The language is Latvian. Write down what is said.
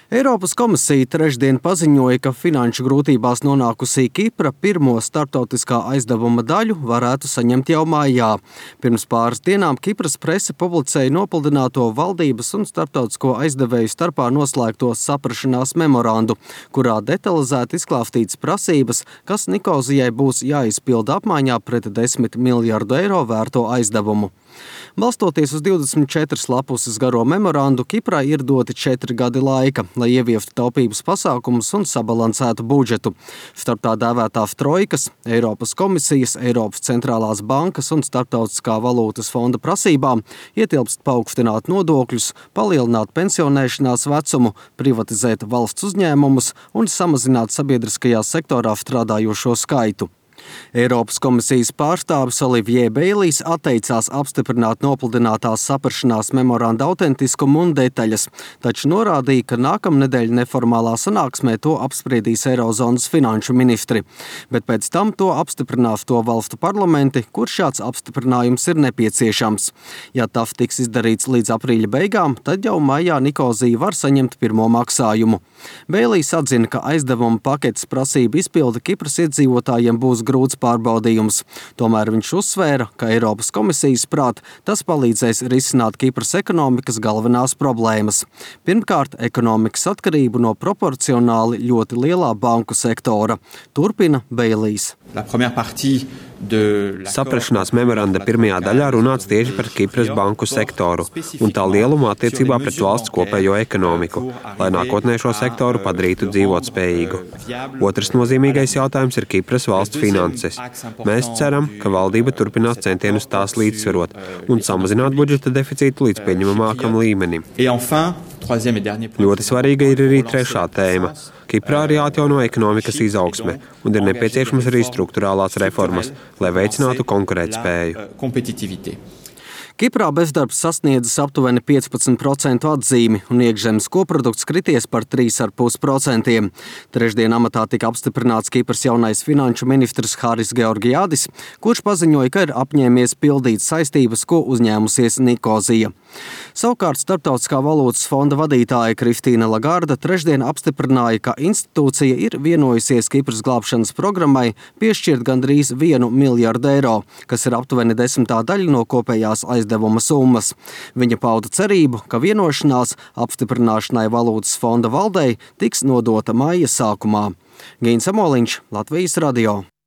Eiropas komisija trešdien paziņoja, ka finanšu grūtībās nonākusī Kipra pirmo starptautiskā aizdevuma daļu varētu saņemt jau maijā. Pirms pāris dienām Kipras prese publicēja nopludināto valdības un starptautisko aizdevēju starpā noslēgto saprašanās memorandu, kurā detalizēti izklāstītas prasības, kas Nikozijai būs jāizpilda apmaiņā pret 10 miljardu eiro vērto aizdevumu. Balstoties uz 24 lapuses garo memorandu, Kiprai ir doti 4 gadi laika, lai ieviestu taupības pasākumus un sabalansētu budžetu. Starp tā dēvētā trojkas, Eiropas komisijas, Eiropas centrālās bankas un Starptautiskā valūtas fonda prasībām ietilpst paaugstināt nodokļus, palielināt pensionēšanās vecumu, privatizēt valsts uzņēmumus un samazināt sabiedriskajā sektorā strādājošo skaitu. Eiropas komisijas pārstāvis Olivier Beilijs atteicās apstiprināt nopludinātās saprašanās memoranda autentiskumu un detaļas, taču norādīja, ka nākamnedēļ neformālā sanāksmē to apspriedīs Eirozonas finanšu ministri, bet pēc tam to apstiprinās to valstu parlamenti, kur šāds apstiprinājums ir nepieciešams. Ja TAF tiks izdarīts līdz aprīļa beigām, tad jau maijā Nikozija var saņemt pirmo maksājumu. Beilijs atzina, ka aizdevuma paketes prasība izpilde Kipras iedzīvotājiem būs grūts pārbaudījums. Tomēr viņš uzsvēra, ka Eiropas komisijas prāt tas palīdzēs risināt Kipras ekonomikas galvenās problēmas. Pirmkārt, ekonomikas atkarību no proporcionāli ļoti lielā banku sektora. Turpina Beilijs. Saprašanās memoranda pirmajā daļā runāts tieši par Kipras banku sektoru un tā lielumu attiecībā pret valsts kopējo ekonomiku, lai nākotnē šo sektoru padarītu dzīvotspējīgu. Otrs nozīmīgais jautājums ir Kipras valsts finanses. Mēs ceram, ka valdība turpinās centienus tās līdzsvarot un samazināt budžeta deficītu līdz pieņemamākam līmenim. Ļoti svarīga ir arī trešā tēma. Kiprā ir jāatjauno ekonomikas izaugsme un ir nepieciešamas arī strukturālās reformas, lai veicinātu konkurētspēju. Kiprā bezdarbs sasniedzis aptuveni 15% atzīmi un iekšzemes koprodukts krities par 3,5%. Trešdien amatā tika apstiprināts Kipras jaunais finanšu ministrs Haris Georgiadis, kurš paziņoja, ka ir apņēmies pildīt saistības, ko uzņēmusies Nikozija. Savukārt Starptautiskā valūtas fonda vadītāja Kristīna Lagarda trešdien apstiprināja, ka institūcija ir vienojusies Kipras glābšanas programmai piešķirt gandrīz 1 miljardu eiro, kas ir aptuveni 10. daļa no kopējās aizdevuma summas. Viņa pauda cerību, ka vienošanās apstiprināšanai valūtas fonda valdei tiks nodota maija sākumā. Gīns Amoliņš, Latvijas radio.